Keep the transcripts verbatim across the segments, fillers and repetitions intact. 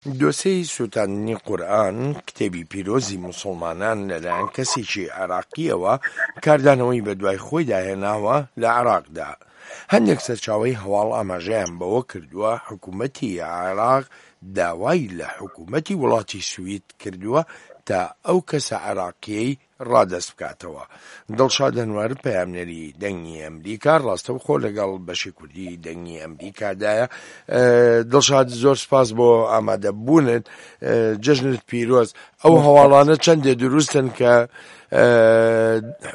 دۆسێی سووتاندنی قورئان، کتێبی پیرۆزی موسڵمانان، لەلایەن کەسێکی عێراقییەوە کاردانەوەی بەدوای خۆیدا هێناوە لە عێراقدا. هەندێک سەرچاوەی هەواڵ ئاماژەیان بەوە کردووە حکوومەتی عێراق داوای لە حکوومەتی وڵاتی سوید کردووە تا ئەو کەسە عێراقییەی ڕادەست بکاتەوە. دڵشاد ئەنوەر، پەیامنێری دەنگی ئەمریکا، ڕاستەوخۆ لەگەڵ بەشی کوردی دەنگی ئەمریکادایە. دڵشاد، زۆر سپاس بۆ ئامادەبوونت، جەژنت پیرۆز. ئەو هەواڵانە چەندێ دروستن کە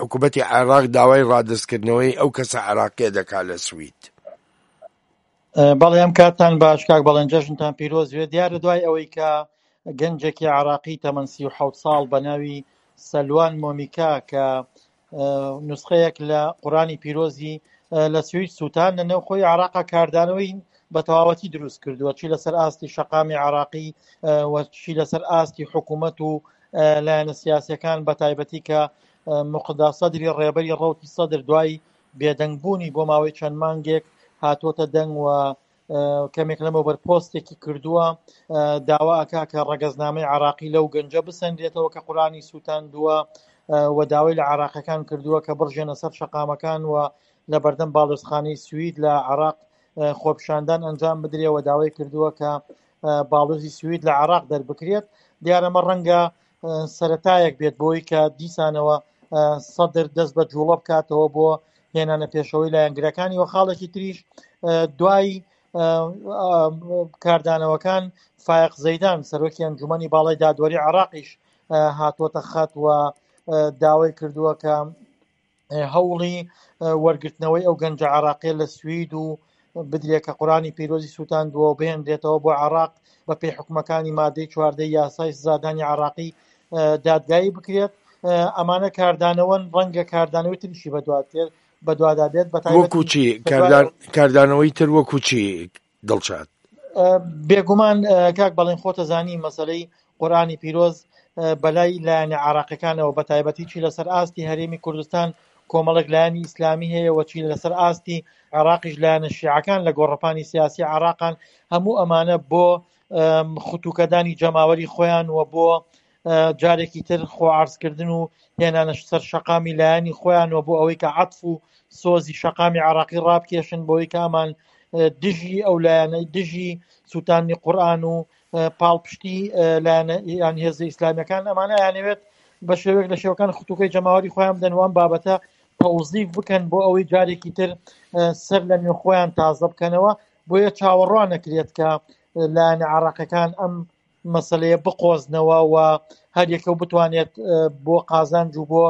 حکوومەتی عێراق داوای ڕادەستکردنەوەی ئەو کەسە عێراقیە دەکات لە سوید؟ بەڵێ، ئەم کاتتان باش کاک بەڵێن، جەژنتان پیرۆز بێت. دیارە دوای ئەوەی کە گەنجێکی عێراقی تەمەن سی و حەوت ساڵ بە ناوی سەلوان مۆمیکا کە نوسخەیەک لە قورئانی پیرۆزی لە سوید سووتان، لە نێوخۆی عێراقا کاردانەوەی بە تەواوەتی دروست کردووە، چی لەسەر ئاستی شەقامی عێراقی و چی لەسەر ئاستی حکوومەت و لایەنە سیاسیەکان، بە تایبەتی کە موقتەدا سەدری ڕێبەری ڕەوتی سەدر دوای بێدەنگبوونی بۆ ماوەی چەند مانگێک هاتووەتە دەنگ و کەمێک لەمەوبەر پۆستێکی کردووە، داوا ئەکا کە ڕەگەزنامەی عراقی لەو گەنجە بسەنرێتەوە کە قورئانی سووتاندووە و داوای لە عراقەکان کردووە کە بڕژێنە سەر شەقامەکان و لە بەردەم باڵیۆزخانەی سوید لە عراق خۆپیشاندان ئەنجام بدرێ و داوای کردووە کە باڵۆزی سوید لە عراق دەربکرێت. دیارەمە ڕەنگە سەتایەک بێت بۆی کە دیسانەوە سەدر دەست بە جوڵە بکاتەوە بۆ هێنانە پێشەوەی لایەنگرەکانی. و خاڵێکی تریش دوای کاردانەوەکان فایق زەیدان سەرۆکی ئەنجومەنی باڵای دادوەری عراقیش هاتووەتە خەت و داوای کردووە کە هەوڵی وەرگرتنەوەی ئەو گەنجە عراقیە لە سوید و بدرێت کە قورئانی پیرۆزی سووتاندووە و بهێنرێتەوە بۆ عراق بە پێی حکومەکانی مادەی چواردەی یاسای سزادانی عراقی دادگایی بکرێت. ئەمانە کاردانەوەن، ڕەنگە کاردانەوەی تریشی بەدواتێت بەدوادا بێت. وەکو چی کاردانەوەی تر؟ وەکو چی دڵشاد؟ بێگومان کاک بەڵێن، خۆتە زانی مەسلەی قورئانی پیرۆز بەلای لایەنە عراقیەکانەوە، بە تایبەتی چی لەسەر ئاستی هەرێمی کوردستان کۆمەڵێک لایەنی ئیسلامی هەیە و چی لەسەر ئاستی عراقیش لایەنە شیعەکان لە گۆڕەپانی سیاسی عراقان، هەموو ئەمانە بۆ ختوکەدانی جەماوەری خۆیان و بۆ جارێکی تر خۆ عرضکردن و هێنانە سەر شەقامی لایەنی خۆیان و بۆ ئەوەی کە عەتف و سۆزی شەقامی عراقی ڕابکێشن، بۆی کە ئەمان دژی ئەو لایەنەی دژی سووتانی قورئان و پاڵپشتی لایەنە یان هێزە ئیسلامیەکان، ئەمانە یانەوێت بە شێوەیەک لە شێوەکان ختوکەی جەماوەری خۆیان بدەن و ئەم بابەتە تەوزیف بکەن بۆ ئەوەی جارێکی تر سەر لە نوێ خۆیان تازە بکەنەوە. بۆیە چاوەڕوان نەکرێت کە لایەنە عراقەکان ئەم مەسلەیە بقۆزنەوە و هەر یەکە و بتوانێت بۆ قازانج و بۆ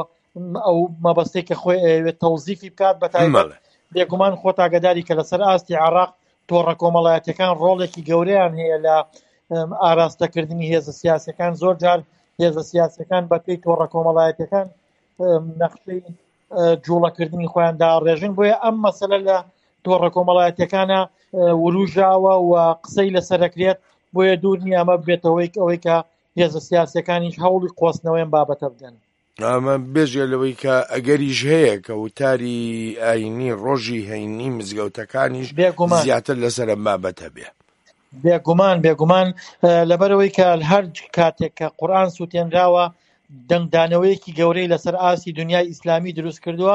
ئەو مەبەستێک کە خۆی ئەیەوێت تەوزیفی بکات. بە تایبەت بێگومان خۆت ئاگاداری کە لەسەر ئاستی عراق تۆڕە کۆمەڵایەتەکان ڕۆڵێکی گەورەیان هەیە لە ئاراستەکردنی هێزە سیاسەکان. زۆر جار هێزە سیاسەکان بە پێی تۆڕە کۆمەڵایەتەکان نەخشەی جوڵەکردنی خۆیان داڕێژن. بۆیە ئەم مەسەلە لە تۆڕە کۆمەڵایەتەکانە وروژاوە و قسەی لەسەرەکرێت، بۆیە دوور نییە ئەمە بێتەوەی ئەوەی کە هێزە سیاسەکانیش هەوڵی قۆستنەوەیان بابەتە بدەن. ئەمە بێژێ لەوەی کە ئەگەریش هەیە کە وتاری ئاینی ڕۆژی هەینی مزگەوتەکانیش زیاتر لەسەر ئەم بابەتە بێ. بێگومان بێگومان لەبەرەوەی کە هەر کاتێک کە قورئان سووتێنراوە دەنگدانەوەیەکی گەورەی لەسەر ئاستی دنیای ئیسلامی دروست کردووە.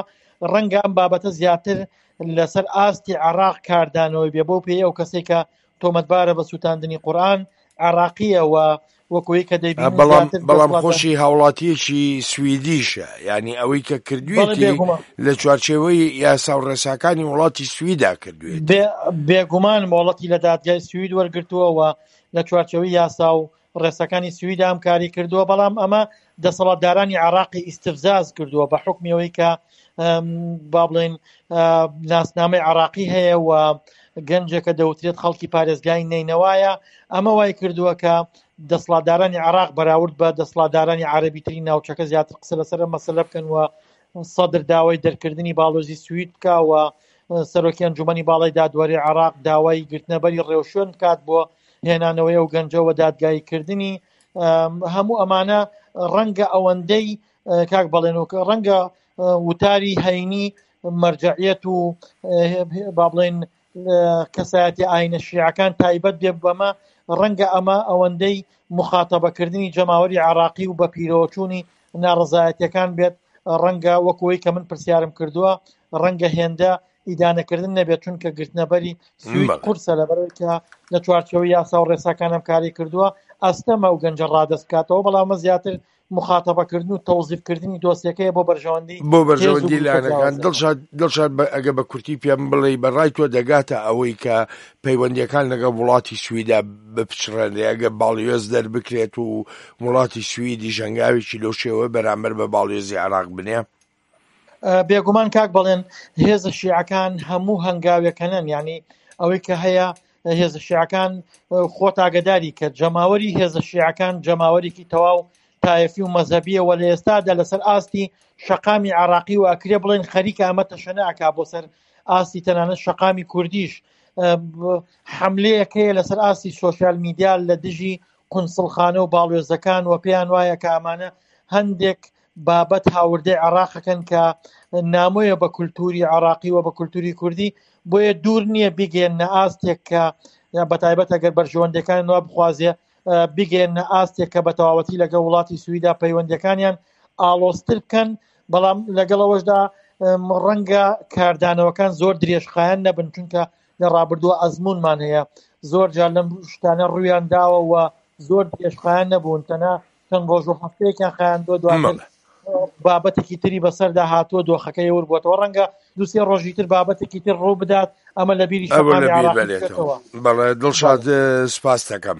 ڕەنگە ئەم بابەتە زیاتر لەسەر ئاستی عراق کاردانەوەی بێ، بۆ پێی ئەو کەسێک کە تۆمەتبارە بە سووتاندنی قورئان عراقیە و وەکوی کە دەیبینین بەڵام بەڵام خۆشی هاوڵاتیەکی سویدیشە، یعنی ئەوەی کە کردوێتی لە چوارچێوەی یاسا و ڕێساکانی وڵاتی سویدا کردوێت. بێگومان مۆڵەتی لە دادگای سوید وەرگرتووە و لە چوارچێوەی یاسا و ڕێساکانی سویدا ئەم کاری کردووە، بەڵام ئەمە دەسەڵاتدارانی عراقی ئیستفزاز کردووە بە حکمیەوەی کە با بڵێن ناسنامەی عراقی هەیە و گەنجێکە دەوترێت خەڵکی پارێزگای نەینەوایە. ئەمە وای کردووە کە دەسەڵاتدارانی عراق بەراورد بە دەسەڵاتدارانی عەرەبی تری ناوچەکە زیاتر قسە لەسەر مەسەلە بکەن و سەدر داوای دەرکردنی باڵۆزی سوید بکە و سەرۆکی ئەنجومەنی باڵای دادوەری عراق داوای گرتنەبەری ڕێوشوێن بکات بۆ هێنانەوەی ئەو گەنجەوە دادگاییکردنی. هەموو ئەمانە ڕەنگە ئەوەندەی کاک بەڵێن و ڕەنگە وتاری هەینی مەرجەعیەت و با بڵێن کەسایەتی ئاینە شیعەکان تایبەت بێ بەمە، ڕەنگە ئەمە ئەوەندەی مخاتەبەکردنی جەماوەری عێراقی و بە پیرۆچوونی ناڕەزایەتیەکان بێت، ڕەنگە وەکوەی کە من پرسیارم کردووە ڕەنگە هێندە ئیدانەکردن نەبێت، چونکە گرتنەبەری سوید قورسە لەبەرەوەی کە لە چوارچێوەی یاسا و ڕێساکانم کاری کردووە، ئەستەمە ئەو گەنجە ڕادەست بکاتەوە. بەڵام ئەمە زیاتر مخاتەبەکردن و تەوزیفکردنی دۆسیەکەیە بۆ بەرژەوەندی بۆ بەرژەوەندی لایەنەکان. دڵشاد دڵشاد ئەگە بە کورتی پێم بڵێ بە ڕای تۆ دەگاتە ئەوەی کە پەیوەندیەکان لەگەڵ وڵاتی سویدا بپچڕێنرێ، ئەگە باڵیۆز دەربکرێت و وڵاتی سویدی ژەنگاوێکی لەو شێوە بەرامبەر بە باڵیۆزی عێراق بنێ؟ بێگومان کاک بەڵێن، هێزە شیعەکان هەموو هەنگاوێکەنن، یعنی ئەوەی کە هەیە هێزە شیعەکان خۆت ئاگداری کە جەماوەری هێزە شیعەکان جەماوەرێکی تەواو تایفی و مەزهەبیە و لە ئێستادا لەسەر ئاستی شەقامی عراقی و ئەکرێ بڵێن خەریکە ئەمە تەشەنە ئەکا بۆ سەر ئاستی تەنانەت شەقامی کوردیش. حملەیەک هەیە لەسەر ئاستی سۆشیال میدیا لە دژی قونسڵخانە و باڵوێزەکان و پێیان وایە کە ئەمانە هەندێک بابەت هاوردەی عێراقەکەن کە نامۆیە بە کولتوری عێراقی و بە کولتوری کوردی، بۆیە دوور نییە بیگەێنە ئاستێک کە بە تایبەت ئەگەر بەرژەوەندەکان وا بخوازێ بیگەێنە ئاستێک کە بە تەواوەتی لەگەڵ وڵاتی سویدا پەیوەندەکانیان ئاڵۆزتر بکەن. بەڵام لەگەڵ ئەوەشدا ڕەنگە کاردانەوەکان زۆر درێژخایەن نەبن، چونکە لە ڕابردووە ئەزمونمان هەیە زۆر جار لەم شتانە ڕوویان داوە و زۆر درێژخایەن نەبوون، تەنها چەند ڕۆژ و هەفتەیەکیان خایاندووە، دواتر بابەتێکی تری بەسەردا هاتووە، دۆخەکە ێور بووەتەوە. ڕەنگە دوو سێ ڕۆژی تر بابەتێکی تر ڕوو بدات، ئەمە لە بیری بەڵێ دڵشاد سپاس دەکەم.